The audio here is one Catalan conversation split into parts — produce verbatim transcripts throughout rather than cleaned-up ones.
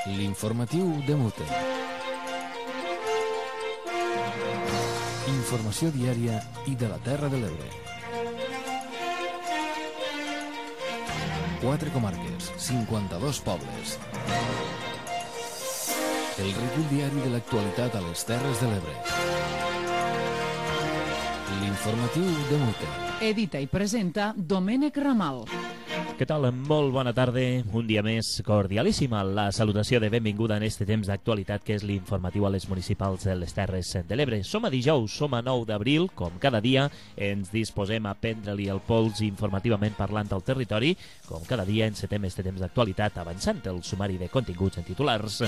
L'informatiu de Mute. Informació diària i de la Terra de l'Ebre. Quatre comarques, cinquanta-dos pobles. El recull diari de l'actualitat a les Terres de l'Ebre. L'informatiu de Mute. Edita i presenta Domènec Ramal. Què tal? Molt bona tarda. Un dia més cordialíssima. La salutació de benvinguda en este temps d'actualitat que és l'informatiu a les municipals de les Terres de l'Ebre. Som a dijous, som a nou d'abril, com cada dia ens disposem a prendre-li el pols informativament parlant al territori. Com cada dia encetem este temps d'actualitat avançant el sumari de continguts en titulars.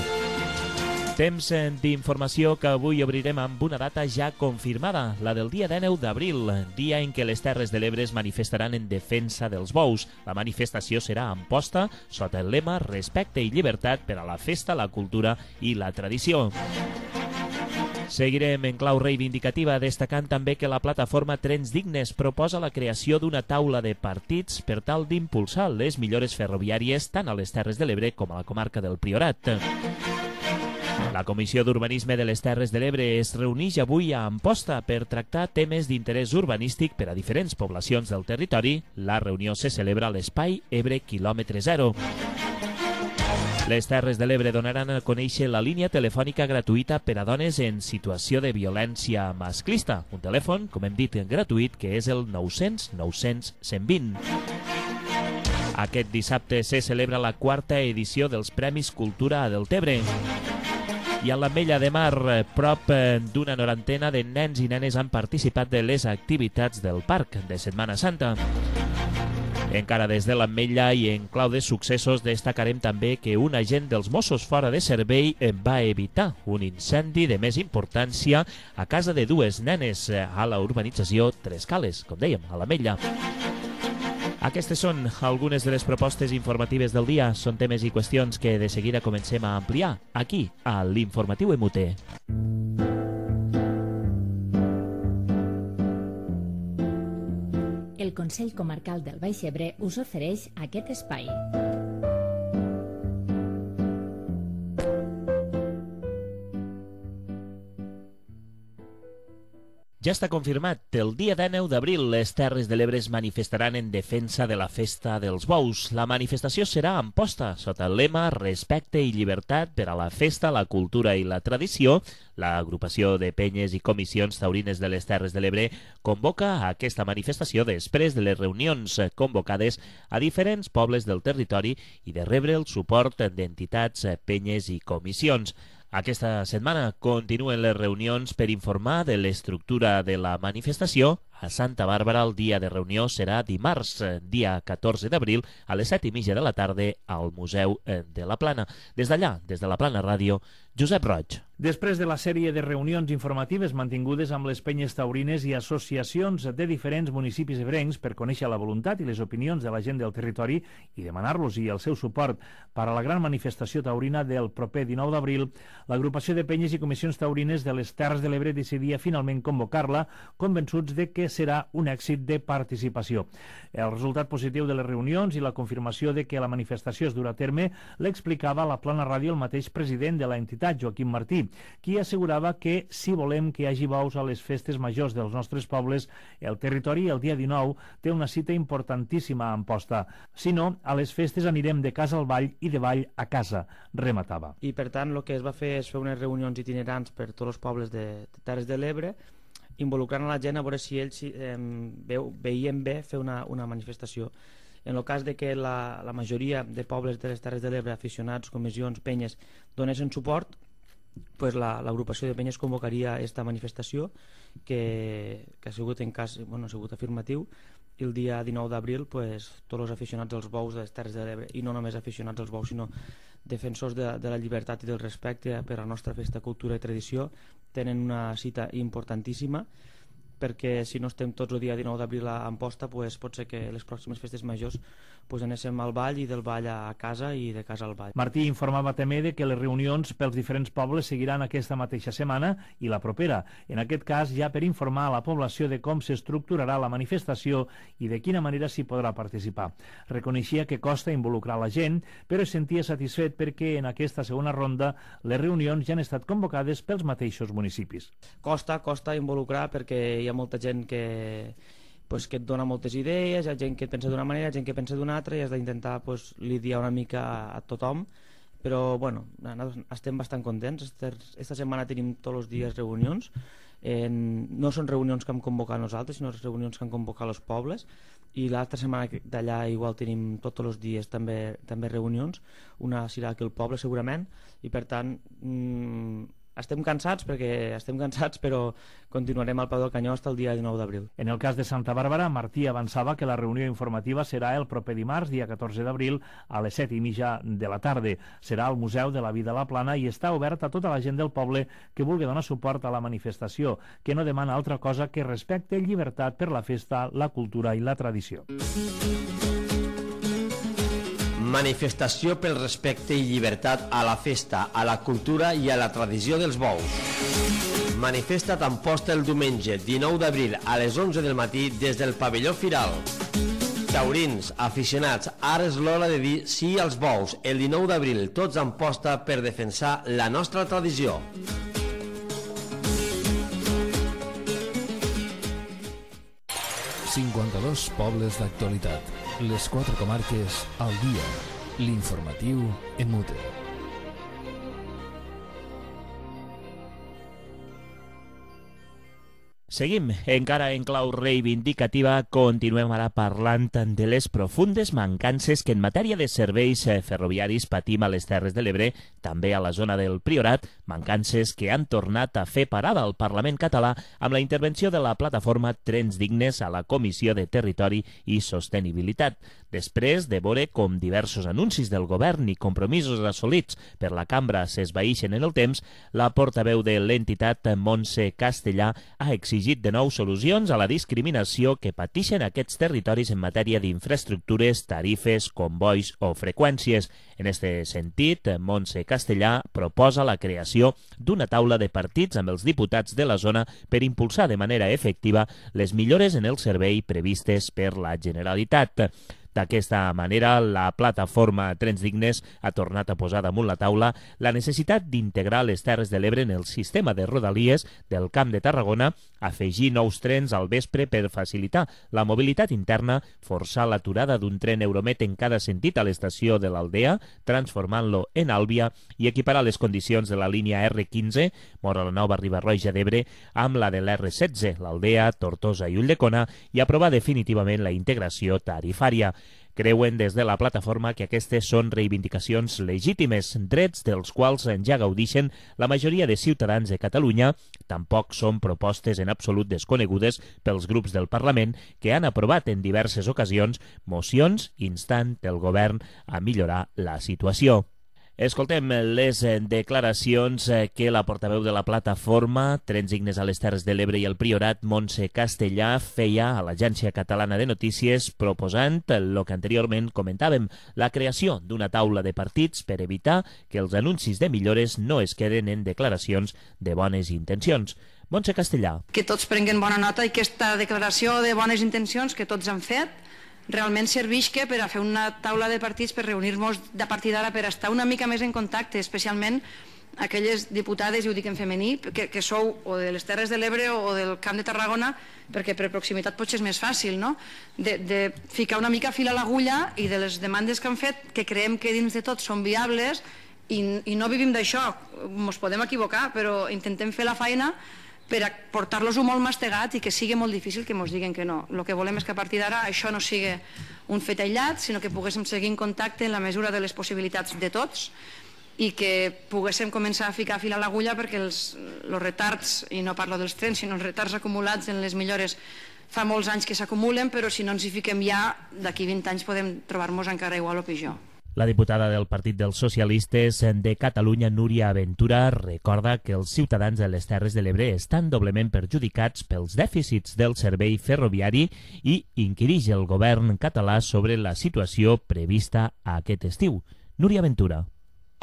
Temps d'informació que avui obrirem amb una data ja confirmada, la del dia dinou d'abril, dia en què les Terres de l'Ebre es manifestaran en defensa dels bous. La manifestació serà a Amposta, sota el lema Respecte i llibertat per a la festa, la cultura i la tradició. Seguirem en clau reivindicativa, destacant també que la plataforma Trens Dignes proposa la creació d'una taula de partits per tal d'impulsar les millores ferroviàries tant a les Terres de l'Ebre com a la comarca del Priorat. La Comissió d'Urbanisme de les Terres de l'Ebre es reuneix avui a Amposta per tractar temes d'interès urbanístic per a diferents poblacions del territori. La reunió se celebra a l'espai Ebre Quilòmetre Zero. Les Terres de l'Ebre donaran a conèixer la línia telefònica gratuïta per a dones en situació de violència masclista. Un telèfon, com hem dit, gratuït, que és el nou cents nou cents cent vint. Aquest dissabte se celebra la quarta edició dels Premis Cultura a Deltebre. I a l'Ametlla de Mar, prop d'una norantena de nens i nenes han participat de les activitats del Parc de Setmana Santa. Encara des de l'Ametlla i en clau de successos destacarem també que un agent dels Mossos fora de servei va evitar un incendi de més importància a casa de dues nenes a la urbanització Tres Cales, com dèiem, a l'Ametlla. Aquestes són algunes de les propostes informatives del dia. Són temes i qüestions que de seguida comencem a ampliar aquí, a l'Informatiu M U T. El Consell Comarcal del Baix Ebre us ofereix aquest espai. Ja està confirmat, el dia dinou d'abril les Terres de l'Ebre es manifestaran en defensa de la festa dels bous. La manifestació serà a Amposta, sota el lema Respecte i llibertat per a la festa, la cultura i la tradició. L'agrupació de penyes i comissions taurines de les Terres de l'Ebre convoca aquesta manifestació després de les reunions convocades a diferents pobles del territori i de rebre el suport d'entitats, penyes i comissions. Aquesta setmana continuen les reunions per informar de l'estructura de la manifestació. A Santa Bàrbara el dia de reunió serà dimarts, dia catorze d'abril, a les set i mitja de la tarda al Museu de la Plana. Des d'allà, des de la Plana Ràdio, Josep Roig. Després de la sèrie de reunions informatives mantingudes amb les penyes taurines i associacions de diferents municipis ebrencs per conèixer la voluntat i les opinions de la gent del territori i demanar-los i el seu suport per a la gran manifestació taurina del proper dinou d'abril, l'agrupació de penyes i comissions taurines de les Terres de l'Ebre decidia finalment convocar-la, convençuts de que serà un èxit de participació. El resultat positiu de les reunions i la confirmació de que la manifestació es durà a terme l'explicava a la Plana Ràdio el mateix president de la entitat, Joaquim Martí, qui assegurava que si volem que hi hagi bous a les festes majors dels nostres pobles, el territori el dia dinou té una cita importantíssima a Amposta. Si no, a les festes anirem de casa al vall i de vall a casa, rematava. I per tant el que es va fer és fer unes reunions itinerants per tots els pobles de, de Terres de l'Ebre, involucrant a la gent a veure si ells eh, veu, veien bé fer una, una manifestació. En el cas de que la, la majoria de pobles de les Terres de l'Ebre, aficionats, comissions, penyes, donessin suport, pues l'agrupació de penyes convocaria aquesta manifestació que, que ha sigut en cas, bueno, ha sigut afirmatiu, i el dia dinou d'abril pues, tots els aficionats als bous de les Terres de l'Ebre, i no només aficionats als bous sinó defensors de, de la llibertat i del respecte per a la nostra festa, cultura i tradició, tenen una cita importantíssima perquè si no estem tots el dia dinou d'abril a Amposta, pues, pot ser que les pròximes festes majors pues, anéssim al ball i del ball a casa i de casa al ball. Martí informava també de que les reunions pels diferents pobles seguiran aquesta mateixa setmana i la propera, en aquest cas ja per informar a la població de com s'estructurarà la manifestació i de quina manera s'hi podrà participar. Reconeixia que costa involucrar la gent, però es sentia satisfet perquè en aquesta segona ronda les reunions ja han estat convocades pels mateixos municipis. Costa, costa involucrar perquè hi ha molta gent que, pues, que et dona moltes idees, hi ha gent que et pensa d'una manera, hi ha gent que pensa d'una altra i has d'intentar pues, lidiar una mica a, a tothom, però bueno, estem bastant contents. Esta setmana tenim tots els dies reunions, eh, no són reunions que hem convocat nosaltres, sinó reunions que han convocat els pobles, i l'altra setmana d'allà igual tenim tots els dies també, també reunions, una serà aquí al poble segurament, i per tant mmm, estem cansats perquè estem cansats, però continuarem al peu del canyó fins el dia dinou d'abril. En el cas de Santa Bàrbara, Martí avançava que la reunió informativa serà el proper dimarts, dia catorze d'abril, a les set i mitja de la tarda. Serà al Museu de la Vida a la Plana i està obert a tota la gent del poble que vulgui donar suport a la manifestació, que no demana altra cosa que respecte i llibertat per la festa, la cultura i la tradició. Manifestació pel respecte i llibertat a la festa, a la cultura i a la tradició dels bous. Manifesta't a Amposta el diumenge dinou d'abril a les onze del matí des del pavelló Firal. Taurins, aficionats, ara és l'hora de dir sí als bous. El dinou d'abril tots a Amposta per defensar la nostra tradició. cinquanta-dos pobles d'actualitat. Les quatre comarques al dia. L'informatiu en mute. Seguim, encara en clau reivindicativa, continuem ara parlant de les profundes mancances que en matèria de serveis ferroviaris patim a les Terres de l'Ebre, també a la zona del Priorat, mancances que han tornat a fer parada al Parlament català amb la intervenció de la plataforma Trens Dignes a la Comissió de Territori i Sostenibilitat. Després de veure com diversos anuncis del govern i compromisos assolits per la cambra s'esvaïxen en el temps, la portaveu de l'entitat, Montse Castellà, ha exigit de nou solucions a la discriminació que patixen aquests territoris en matèria d'infraestructures, tarifes, convois o freqüències. En aquest sentit, Montse Castellà proposa la creació d'una taula de partits amb els diputats de la zona per impulsar de manera efectiva les millores en el servei previstes per la Generalitat. D'aquesta manera, la plataforma Trens Dignes ha tornat a posar damunt la taula la necessitat d'integrar les Terres de l'Ebre en el sistema de rodalies del Camp de Tarragona, afegir nous trens al vespre per facilitar la mobilitat interna, forçar l'aturada d'un tren Euromet en cada sentit a l'estació de l'Aldea, transformant-lo en Àlvia, i equiparar les condicions de la línia erre quinze, Móra la Nova, Riba-roja d'Ebre, amb la de l'erre setze, l'Aldea, Tortosa i Ulldecona, i aprovar definitivament la integració tarifària. Creuen des de la plataforma que aquestes són reivindicacions legítimes, drets dels quals ja gaudixen la majoria de ciutadans de Catalunya. Tampoc són propostes en absolut desconegudes pels grups del Parlament que han aprovat en diverses ocasions mocions instant el govern a millorar la situació. Escoltem les declaracions que la portaveu de la plataforma Trens Dignes a les Terres de l'Ebre i el Priorat, Montse Castellà, feia a l'Agència Catalana de Notícies proposant el que anteriorment comentàvem, la creació d'una taula de partits per evitar que els anuncis de millores no es queden en declaracions de bones intencions. Montse Castellà. Que tots prenguen bona nota i que aquesta declaració de bones intencions que tots han fet realment servisca per a fer una taula de partits per reunir-nos de partir d'ara per estar una mica més en contacte, especialment aquelles diputades, i ho dic en femení, que, que sou o de les Terres de l'Ebre o del Camp de Tarragona, perquè per proximitat potser és més fàcil, no? De, de ficar una mica fil a l'agulla i de les demandes que han fet, que creiem que dins de tot són viables, i, i no vivim d'això, ens podem equivocar, però intentem fer la feina per a portar-los-ho molt mastegat i que sigui molt difícil que ens diguen que no. El que volem és que a partir d'ara això no sigui un fet aïllat, sinó que poguéssim seguir en contacte en la mesura de les possibilitats de tots i que poguéssim començar a ficar fil a l'agulla perquè els, els retards, i no parlo dels trens, sinó els retards acumulats en les millores fa molts anys que s'acumulen, però si no ens hi fiquem ja, d'aquí vint anys podem trobar-nos encara igual o pitjor. La diputada del Partit dels Socialistes de Catalunya, Núria Ventura, recorda que els ciutadans de les Terres de l'Ebre estan doblement perjudicats pels dèficits del servei ferroviari i inquirix el govern català sobre la situació prevista aquest estiu. Núria Ventura.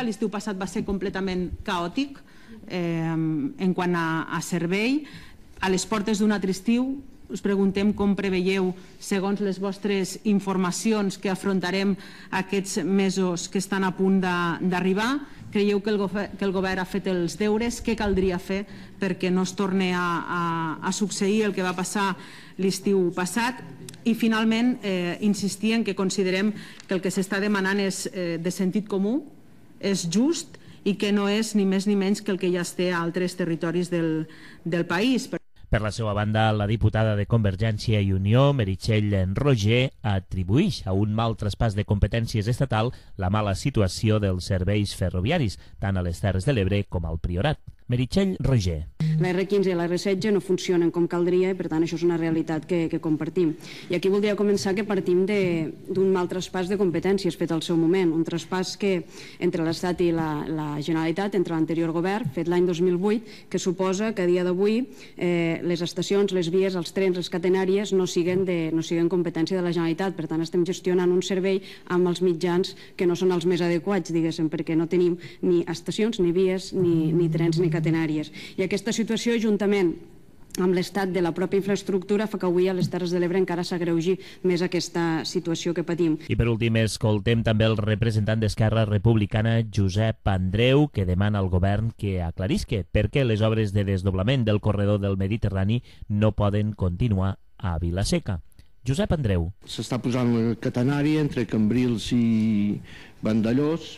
L'estiu passat va ser completament caòtic eh, en quant a, a servei. A les portes d'un altre estiu us preguntem com preveieu, segons les vostres informacions, que afrontarem aquests mesos que estan a punt d'arribar. Creieu que el, que el govern ha fet els deures? Què caldria fer perquè no es torni a, a, a succeir el que va passar l'estiu passat? I finalment eh, insistir en que considerem que el que s'està demanant és eh, de sentit comú, és just i que no és ni més ni menys que el que ja es té a altres territoris del, del país. Per la seva banda, la diputada de Convergència i Unió, Meritxell Roger, atribueix a un mal traspàs de competències estatal la mala situació dels serveis ferroviaris, tant a les Terres de l'Ebre com al Priorat. Meritxell Roger. La erre quinze i la erre setze no funcionen com caldria i per tant això és una realitat que, que compartim. I aquí voldria començar que partim d'un mal traspàs de competències fet al seu moment, un traspàs que entre l'Estat i la, la Generalitat, entre l'anterior govern, fet l'any dos mil vuit, que suposa que a dia d'avui eh, les estacions, les vies, els trens, les catenàries no siguen, de, no siguen competència de la Generalitat. Per tant, estem gestionant un servei amb els mitjans que no són els més adequats, diguéssim, perquè no tenim ni estacions, ni vies, ni, ni trens, ni catenàries. I aquesta situació, juntament amb l'estat de la pròpia infraestructura, fa que avui a les Terres de l'Ebre encara s'agreugi més aquesta situació que patim. I per últim, escoltem també el representant d'Esquerra Republicana, Josep Andreu, que demana al govern que aclarisque per què les obres de desdoblament del corredor del Mediterrani no poden continuar a Vila-seca. Josep Andreu. S'està posant la catenària entre Cambrils i Vandellós,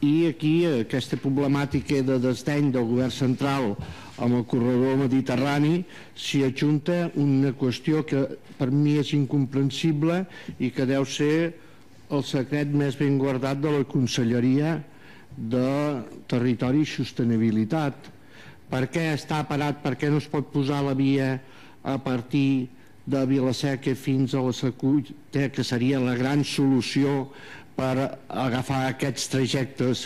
i aquí aquesta problemàtica de desdeny del govern central amb el corredor mediterrani s'hi adjunta una qüestió que per mi és incomprensible i que deu ser el secret més ben guardat de la Conselleria de Territori i Sostenibilitat. Per què està parat? Per què no es pot posar la via a partir de Vila-seca fins a la Secuita, que seria la gran solució per agafar aquests trajectes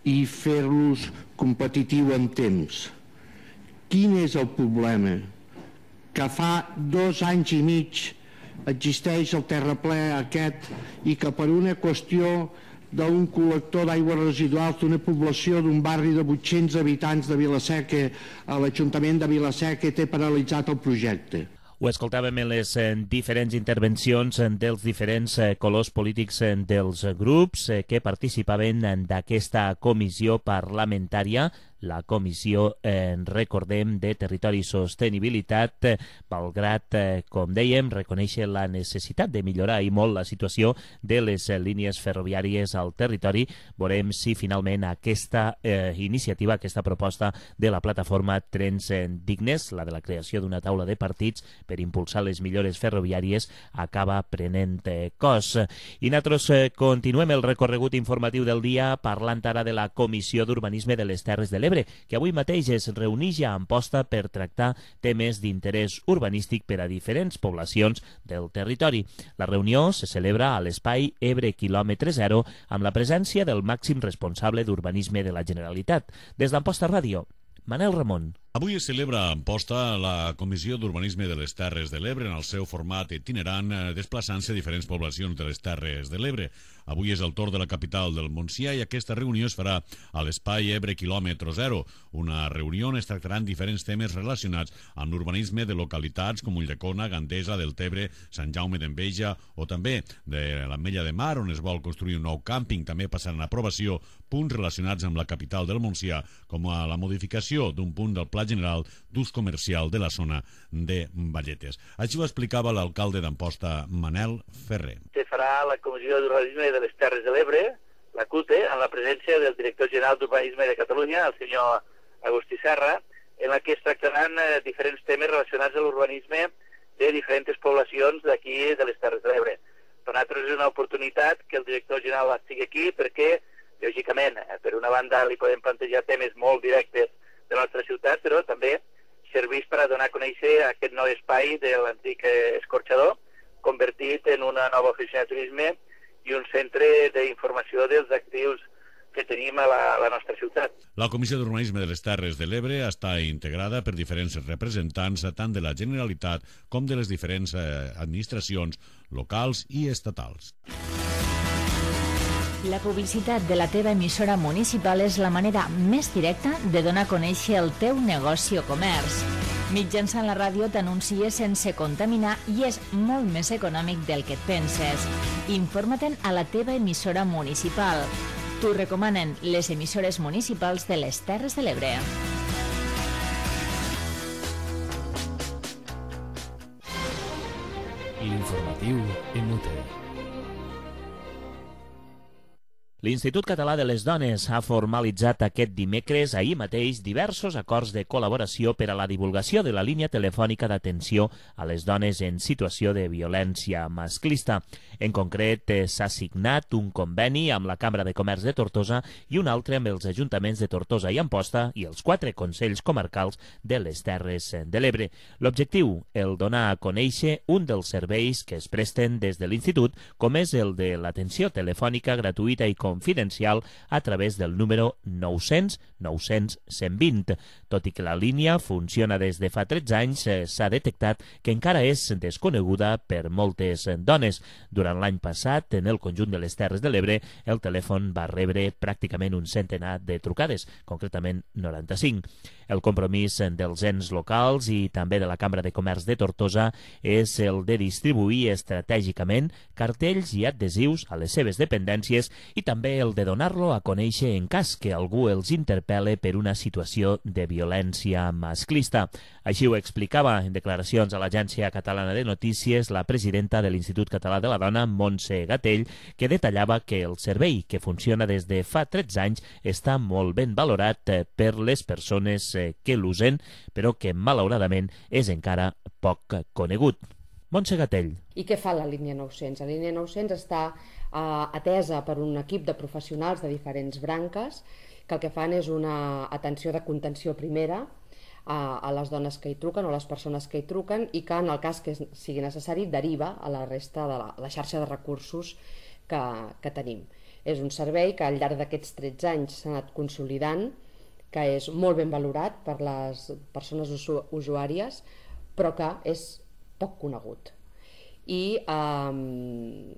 i fer-los competitius en temps? Quin és el problema? Que fa dos anys i mig existeix el terraplè aquest i que per una qüestió d'un col·lector d'aigües residuals d'una població d'un barri de vuit-cents habitants de Vila-seca a l'Ajuntament de Vila-seca té paralitzat el projecte. Ho escoltàvem en les diferents intervencions dels diferents colors polítics dels grups que participaven d'aquesta comissió parlamentària, la comissió, eh, recordem, de Territori i Sostenibilitat, eh, malgrat, eh, com dèiem, reconèixer la necessitat de millorar i molt la situació de les eh, línies ferroviàries al territori. Veurem si finalment aquesta eh, iniciativa, aquesta proposta de la plataforma Trens Dignes, la de la creació d'una taula de partits per impulsar les millores ferroviàries, acaba prenent eh, cos. I nosaltres eh, continuem el recorregut informatiu del dia parlant ara de la Comissió d'Urbanisme de les Terres de l'Ebre, que avui mateix es reuneix a Amposta per tractar temes d'interès urbanístic per a diferents poblacions del territori. La reunió se celebra a l'espai Ebre quilòmetre zero amb la presència del màxim responsable d'urbanisme de la Generalitat. Des d'Amposta Ràdio, Manel Ramon. Avui es celebra a Amposta la Comissió d'Urbanisme de les Terres de l'Ebre en el seu format itinerant, desplaçant-se a diferents poblacions de les Terres de l'Ebre. Avui és el torn de la capital del Montsià i aquesta reunió es farà a l'espai Ebre quilòmetre zero, una reunió on es tractaran diferents temes relacionats amb l'urbanisme de localitats com Ulldecona, Gandesa, Deltebre, Sant Jaume d'Enveja o també de l'Ametlla de Mar, on es vol construir un nou càmping. També passaran a aprovació punts relacionats amb la capital del Montsià, com a la modificació d'un punt del Pla General d'Ús Comercial de la zona de Valletes. Així ho explicava l'alcalde d'Amposta, Manel Ferrer. Se farà la Comissió d'Urbanisme de les Terres de l'Ebre, la C U T E, amb la presència del director general d'Urbanisme de Catalunya, el senyor Agustí Serra, en la que es tractaran eh, diferents temes relacionats amb l'urbanisme de diferents poblacions d'aquí de les Terres de l'Ebre. Per nosaltres és una oportunitat que el director general estigui aquí perquè, lògicament, eh, per una banda li podem plantejar temes molt directes de la nostra ciutat, però també serveix per a donar a conèixer aquest nou espai de l'antic escorxador, convertit en una nova oficina de turisme i un centre d'informació dels actius que tenim a la, a la nostra ciutat. La Comissió d'Urbanisme de les Terres de l'Ebre està integrada per diferents representants tant de la Generalitat com de les diferents administracions locals i estatals. La publicitat de la teva emissora municipal és la manera més directa de donar a conèixer el teu negoci o comerç. Mitjançant la ràdio t'anuncies sense contaminar i és molt més econòmic del que et penses. Informa-te'n a la teva emissora municipal. T'ho recomanen les emissores municipals de les Terres de l'Ebre. L'informatiu en Mute. L'Institut Català de les Dones ha formalitzat aquest dimecres, ahir mateix, diversos acords de col·laboració per a la divulgació de la línia telefònica d'atenció a les dones en situació de violència masclista. En concret, s'ha signat un conveni amb la Cambra de Comerç de Tortosa i un altre amb els ajuntaments de Tortosa i Amposta i els quatre consells comarcals de les Terres de l'Ebre. L'objectiu, el donar a conèixer un dels serveis que es presten des de l'Institut, com és el de l'atenció telefònica gratuïta i confidencial a través del número nou-cents nou-cents cent vint. Tot i que la línia funciona des de fa tretze anys, s'ha detectat que encara és desconeguda per moltes dones. Durant l'any passat, en el conjunt de les Terres de l'Ebre, el telèfon va rebre pràcticament un centenar de trucades, concretament noranta-cinc. El compromís dels ens locals i també de la Cambra de Comerç de Tortosa és el de distribuir estratègicament cartells i adhesius a les seves dependències i també el de donar-lo a conèixer en cas que algú els interpel·le per una situació de violència masclista. Així ho explicava en declaracions a l'Agència Catalana de Notícies la presidenta de l'Institut Català de la Dona, Montse Gatell, que detallava que el servei, que funciona des de fa tretze anys, està molt ben valorat per les persones que l'usen, però que malauradament és encara poc conegut. Montse Gatell. I què fa la línia nou-cents? La línia nou-cents està eh, atesa per un equip de professionals de diferents branques que el que fan és una atenció de contenció primera a, a les dones que hi truquen o a les persones que hi truquen i que en el cas que sigui necessari deriva a la resta de la, la xarxa de recursos que, que tenim. És un servei que al llarg d'aquests tretze anys s'ha anat consolidant, que és molt ben valorat per les persones usu usuàries, però que és poc conegut. I, eh,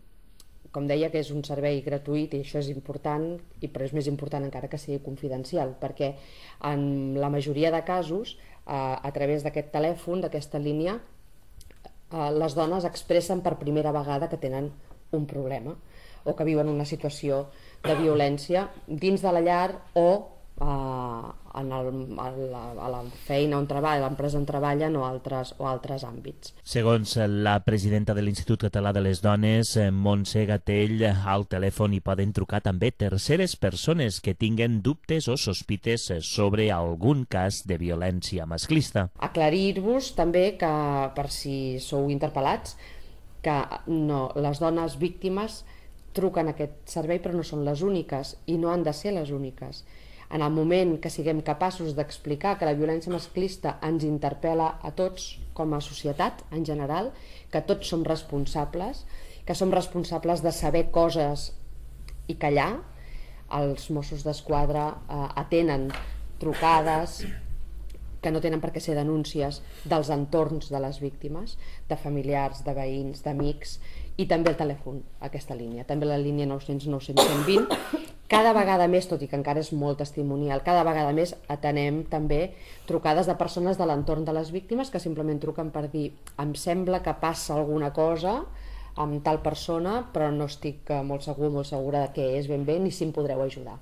com deia, que és un servei gratuït i això és important, i però és més important encara que sigui confidencial, perquè en la majoria de casos, eh, a través d'aquest telèfon, d'aquesta línia, eh, les dones expressen per primera vegada que tenen un problema o que viuen una situació de violència dins de la llar o Uh, en el, a, la, a la feina on treballa, a l'empresa on treballen o altres, o altres àmbits. Segons la presidenta de l'Institut Català de les Dones, Montse Gatell, al telèfon hi poden trucar també terceres persones que tinguen dubtes o sospites sobre algun cas de violència masclista. Aclarir-vos també que, per si sou interpel·lats, que no, les dones víctimes truquen a aquest servei però no són les úniques i no han de ser les úniques. En el moment que siguem capaços d'explicar que la violència masclista ens interpel·la a tots com a societat en general, que tots som responsables, que som responsables de saber coses i callar, els Mossos d'Esquadra eh, atenen trucades que no tenen per què ser denúncies dels entorns de les víctimes, de familiars, de veïns, d'amics, i també el telèfon, aquesta línia, també la línia nou-cents nou-cents cent vint. Cada vegada més, tot i que encara és molt testimonial, cada vegada més atenem també trucades de persones de l'entorn de les víctimes que simplement truquen per dir em sembla que passa alguna cosa amb tal persona, però no estic molt segur, molt segura de què és ben bé ni si em podreu ajudar.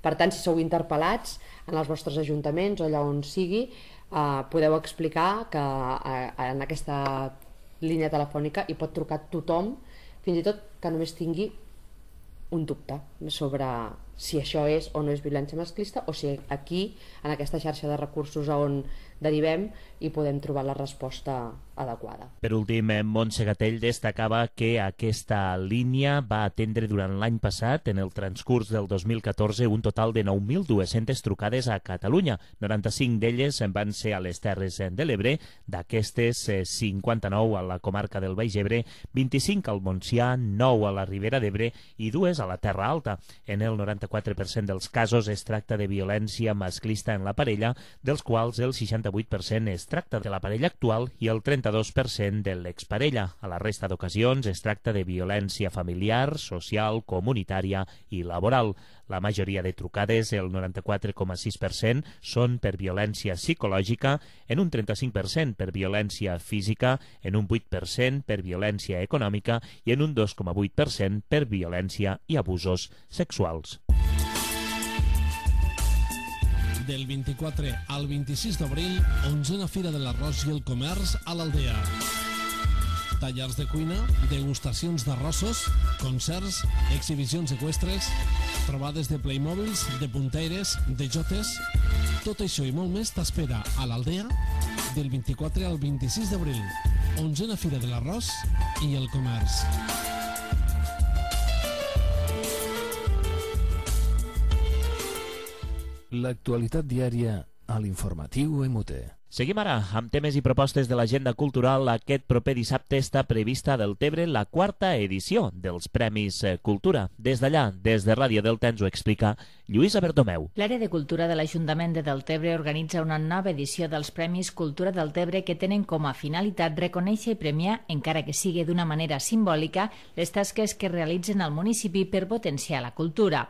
Per tant, si sou interpel·lats en els vostres ajuntaments o allà on sigui, eh, podeu explicar que eh, en aquesta línia telefònica hi pot trucar tothom, fins i tot que només tingui un dubte sobre si això és o no és violència masclista o si aquí, en aquesta xarxa de recursos on derivem i podem trobar la resposta adequada. Per últim, Montse Gatell destacava que aquesta línia va atendre durant l'any passat, en el transcurs del dos mil catorze, un total de nou mil dues-centes trucades a Catalunya. noranta-cinc d'elles van ser a les Terres de l'Ebre, d'aquestes cinquanta-nou a la comarca del Baix Ebre, vint-i-cinc al Montsià, nou a la Ribera d'Ebre i dues a la Terra Alta. En el noranta-quatre per cent dels casos es tracta de violència masclista en la parella, dels quals el seixanta-vuit per cent es tracta de la parella actual i el trenta-dos per cent de l'exparella. A la resta d'ocasions es tracta de violència familiar, social, comunitària i laboral. La majoria de trucades, el noranta-quatre coma sis per cent, són per violència psicològica, en un trenta-cinc per cent per violència física, en un vuit per cent per violència econòmica i en un dos coma vuit per cent per violència i abusos sexuals. Del vint-i-quatre al vint-i-sis d'abril, onzena Fira de l'Arròs i el Comerç a l'Aldea. Tallers de cuina, degustacions d'arrossos, concerts, exhibicions eqüestres, trobades de Playmobils, de punteires, de jotes... Tot això i molt més t'espera a l'Aldea del vint-i-quatre al vint-i-sis d'abril. Onzena Fira de l'Arròs i el Comerç. L'actualitat diària a l'informatiu M U T. Seguim ara amb temes i propostes de l'agenda cultural. Aquest proper dissabte està prevista a Deltebre la quarta edició dels Premis Cultura. Des d'allà, des de Ràdio Delta, ens ho explica Lluïsa Bertomeu. L'àrea de cultura de l'Ajuntament de Deltebre organitza una nova edició dels Premis Cultura Deltebre que tenen com a finalitat reconèixer i premiar, encara que sigui d'una manera simbòlica, les tasques que realitzen al municipi per potenciar la cultura.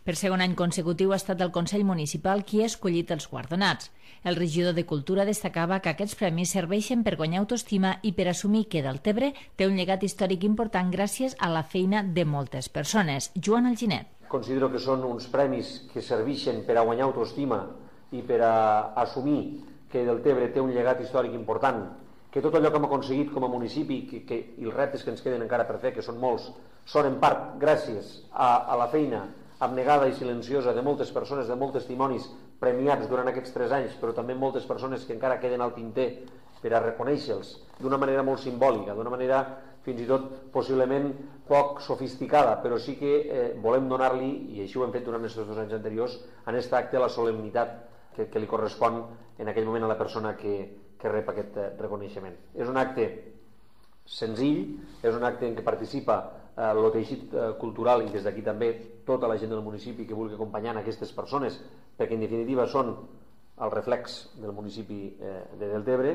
Per segon any consecutiu ha estat el Consell Municipal qui ha escollit els guardonats. El regidor de Cultura destacava que aquests premis serveixen per guanyar autoestima i per assumir que Deltebre té un llegat històric important gràcies a la feina de moltes persones. Joan Alginet. Considero que són uns premis que serveixen per a guanyar autoestima i per a assumir que Deltebre té un llegat històric important, que tot allò que hem aconseguit com a municipi que, que, i els reptes que ens queden encara per fer, que són molts, són en part gràcies a, a la feina abnegada i silenciosa de moltes persones, de molts testimonis premiats durant aquests tres anys, però també moltes persones que encara queden al tinter per a reconèixer-los d'una manera molt simbòlica, d'una manera fins i tot possiblement poc sofisticada, però sí que eh, volem donar-li, i així ho hem fet durant aquests dos anys anteriors, en aquest acte la solemnitat que, que li correspon en aquell moment a la persona que, que rep aquest eh, reconeixement. És un acte senzill, és un acte en què participa eh, el teixit eh, cultural i des d'aquí també tota la gent del municipi que vulgui acompanyar aquestes persones, perquè en definitiva són el reflex del municipi eh, de Deltebre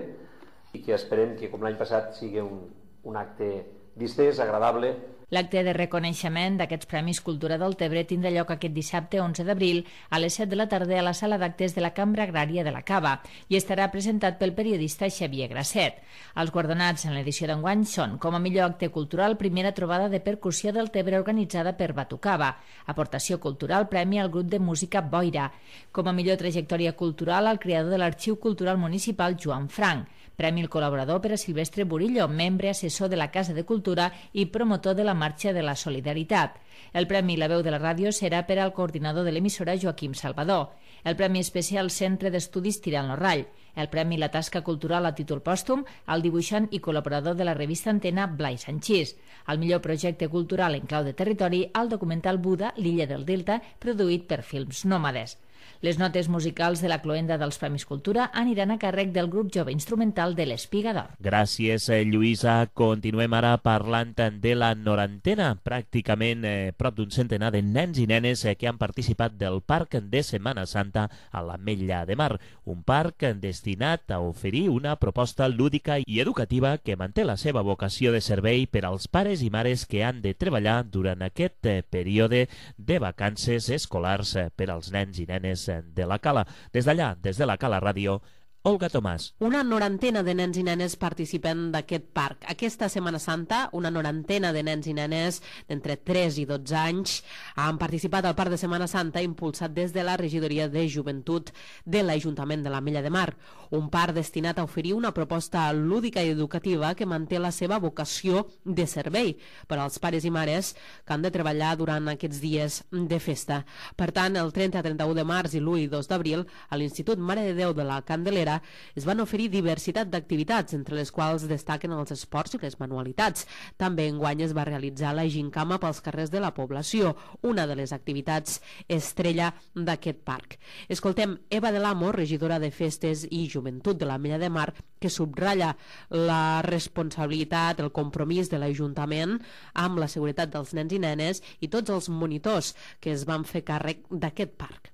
i que esperem que com l'any passat sigui un, un acte distès, agradable. L'acte de reconeixement d'aquests Premis Cultura Deltebre tindrà lloc aquest dissabte onze d'abril a les set de la tarda a la sala d'actes de la Cambra Agrària de la Cava i estarà presentat pel periodista Xavier Grasset. Els guardonats en l'edició d'enguany són, com a millor acte cultural, primera trobada de percussió Deltebre organitzada per Batucava, aportació cultural, premi al grup de música Boira, com a millor trajectòria cultural al creador de l'Arxiu Cultural Municipal Joan Frank, premi al col·laborador per a Silvestre Burillo, membre assessor de la Casa de Cultura i promotor de la Marxa de la Solidaritat. El premi La Veu de la Ràdio serà per al coordinador de l'emissora Joaquim Salvador. El premi especial Centre d'Estudis Tirant lo Rall. El premi La Tasca Cultural a títol pòstum al dibuixant i col·laborador de la revista Antena Blai Sanchís. El millor projecte cultural en clau de territori al documental Buda, l'illa del Delta, produït per Films Nòmades. Les notes musicals de la cloenda dels Premis Cultura aniran a càrrec del grup jove instrumental de l'Espiga d'Or. Gràcies, Lluïsa. Continuem ara parlant de la norantena. Pràcticament eh, prop d'un centenar de nens i nenes eh, que han participat del Parc de Setmana Santa a l'Ametlla de Mar. Un parc destinat a oferir una proposta lúdica i educativa que manté la seva vocació de servei per als pares i mares que han de treballar durant aquest eh, període de vacances escolars eh, per als nens i nenes de la Cala. Des d'allà, des de la Cala Ràdio, Olga Tomàs. Una norantena de nens i nenes participen d'aquest parc. Aquesta Setmana Santa, una norantena de nens i nenes d'entre tres i dotze anys han participat al Parc de Setmana Santa impulsat des de la Regidoria de Joventut de l'Ajuntament de l'Ametlla de Mar. Un parc destinat a oferir una proposta lúdica i educativa que manté la seva vocació de servei per als pares i mares que han de treballar durant aquests dies de festa. Per tant, el trenta a trenta-u de març i l'u i dos d'abril, a l'Institut Mare de Déu de la Candelera Celebra es van oferir diversitat d'activitats, entre les quals destaquen els esports i les manualitats. També enguany es va realitzar la gincama pels carrers de la població, una de les activitats estrella d'aquest parc. Escoltem Eva de l'Amo, regidora de Festes i Joventut de l'Ametlla de Mar, que subratlla la responsabilitat, el compromís de l'Ajuntament amb la seguretat dels nens i nenes i tots els monitors que es van fer càrrec d'aquest parc.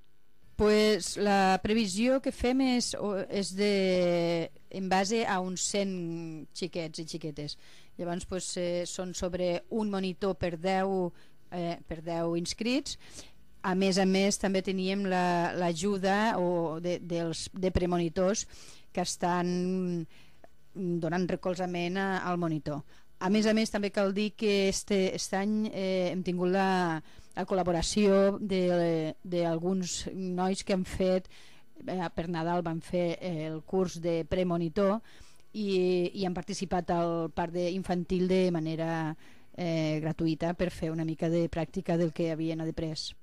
Pues la previsió que fem és, és de, en base a uns cent xiquets i xiquetes. Llavors pues, eh, són sobre un monitor per deu, eh, per deu inscrits. A més a més també teníem l'ajuda la, de, dels, de premonitors que estan donant recolzament a, al monitor. A més a més també cal dir que este, este any eh, hem tingut la, la col·laboració d'alguns nois que han fet, eh, per Nadal van fer eh, el curs de premonitor i, i han participat al parc infantil de manera eh, gratuïta per fer una mica de pràctica del que havien après.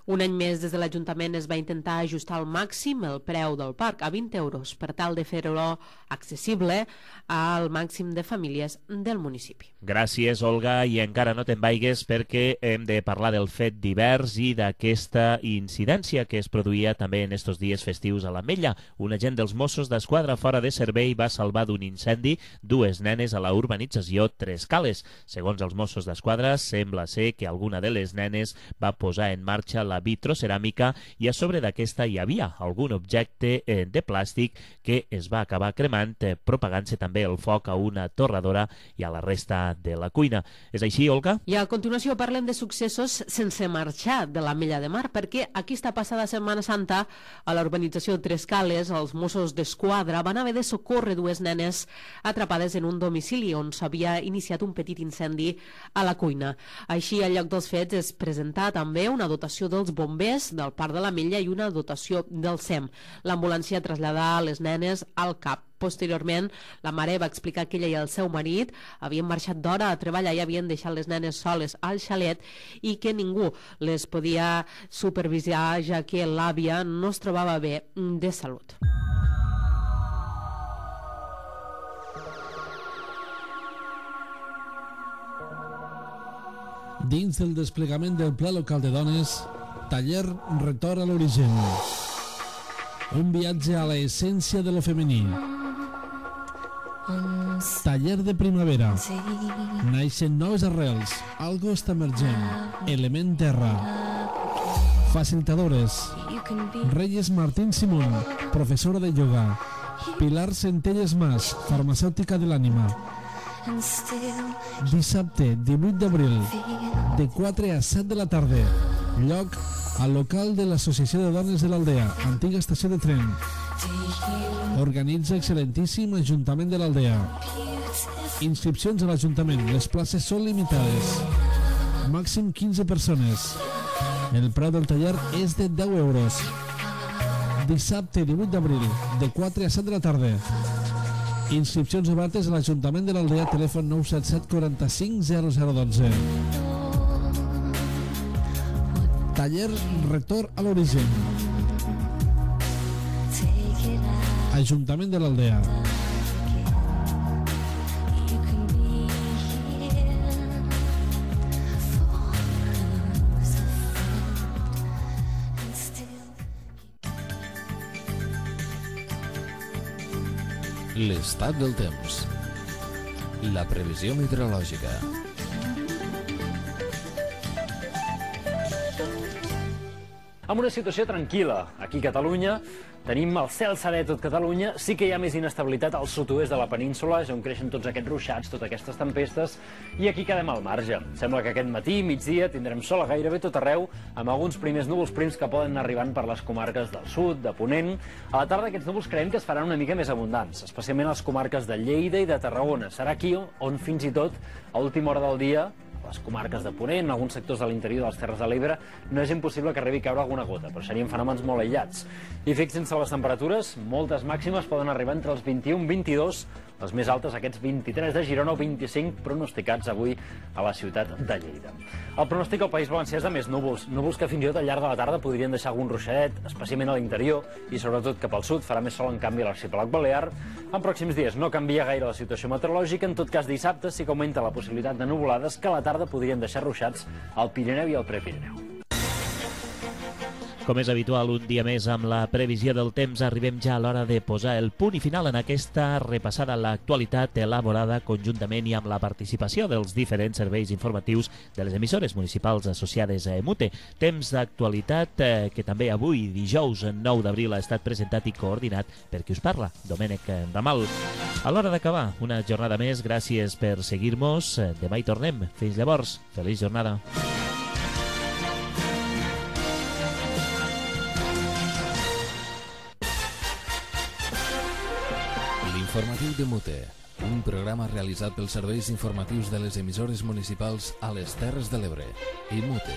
Un any més, des de l'Ajuntament es va intentar ajustar al màxim el preu del parc a vint euros per tal de fer-lo accessible al màxim de famílies del municipi. Gràcies, Olga, i encara no te'n vaigues perquè hem de parlar del fet divers i d'aquesta incidència que es produïa també en estos dies festius a l'Ametlla. Un agent dels Mossos d'Esquadra fora de servei va salvar d'un incendi dues nenes a la urbanització Tres Cales. Segons els Mossos d'Esquadra, sembla ser que alguna de les nenes va posar en marxa la vitroceràmica i a sobre d'aquesta hi havia algun objecte eh, de plàstic que es va acabar cremant, eh, propagant-se també el foc a una torradora i a la resta de la cuina. És així, Olga? I a continuació parlem de successos sense marxar de l'Ametlla de Mar, perquè aquesta passada Setmana Santa a la urbanització Tres Cales els Mossos d'Esquadra van haver de socórrer dues nenes atrapades en un domicili on s'havia iniciat un petit incendi a la cuina. Així, al lloc dels fets es presentà també una dotació dels bombers del Parc de l'Ametlla i una dotació del S E M. L'ambulància traslladà les nenes al CAP. Posteriorment, la mare va explicar que ella i el seu marit havien marxat d'hora a treballar i havien deixat les nenes soles al xalet i que ningú les podia supervisar, ja que l'àvia no es trobava bé de salut. Dins del desplegament del Pla Local de Dones, taller Retorn a l'origen. Un viatge a l'essència de lo femení. Taller de primavera. Naixen noves arrels. Algo està emergent. Element terra. Facilitadores. Reyes Martín Simón, professora de yoga. Pilar Centelles Mas, farmacèutica de l'ànima. Dissabte, divuit d'abril, de quatre a set de la tarda. Lloc al local de l'Associació de Dones de l'Aldea, antiga estació de tren. Organitza excel·lentíssim Ajuntament de l'Aldea. Inscripcions a l'Ajuntament, les places són limitades. Màxim quinze persones. El preu del taller és de deu euros. Dissabte, divuit d'abril, de quatre a set de la tarda. Inscripcions obertes a l'Ajuntament de l'Aldea, telèfon nou set set quaranta-cinc zero zero dotze. Taller Retorn a l'origen. Ajuntament de l'Aldea. L'estat del temps. La previsió meteorològica. Amb una situació tranquil·la. Aquí a Catalunya tenim el cel serè tot Catalunya. Sí que hi ha més inestabilitat al sud-oest de la península, on creixen tots aquests ruixats, totes aquestes tempestes, i aquí quedem al marge. Sembla que aquest matí, migdia, tindrem sol a gairebé tot arreu, amb alguns primers núvols prims que poden anar arribant per les comarques del sud, de Ponent. A la tarda aquests núvols creiem que es faran una mica més abundants, especialment a les comarques de Lleida i de Tarragona. Serà aquí on fins i tot, a última hora del dia, les comarques de Ponent, en alguns sectors de l'interior de les Terres de l'Ebre, no és impossible que arribi a caure alguna gota, però serien fenòmens molt aïllats. I fixin-se les temperatures, moltes màximes poden arribar entre els vint-i-un i vint-i-dos, Les més altes, aquests vint-i-tres de Girona o vint-i-cinc pronosticats avui a la ciutat de Lleida. El pronòstic al País Valencià és de més núvols, núvols que fins i tot al llarg de la tarda podrien deixar algun ruixadet, especialment a l'interior i sobretot cap al sud. Farà més sol en canvi a l'arxipèlag balear. En pròxims dies no canvia gaire la situació meteorològica, en tot cas dissabte sí que augmenta la possibilitat de nuvolades que a la tarda podrien deixar ruixats al Pirineu i al Prepirineu. Com és habitual, un dia més amb la previsió del temps, arribem ja a l'hora de posar el punt i final en aquesta repassada a l'actualitat elaborada conjuntament i amb la participació dels diferents serveis informatius de les emissores municipals associades a EMUTE. Temps d'actualitat eh, que també avui, dijous nou d'abril, ha estat presentat i coordinat per qui us parla, Domènec Ramal. A l'hora d'acabar, una jornada més, gràcies per seguir-nos. Demà hi tornem. Fins llavors, feliç jornada. Informatiu de Mute, un programa realitzat pels serveis informatius de les emissores municipals a les Terres de l'Ebre. I Mute.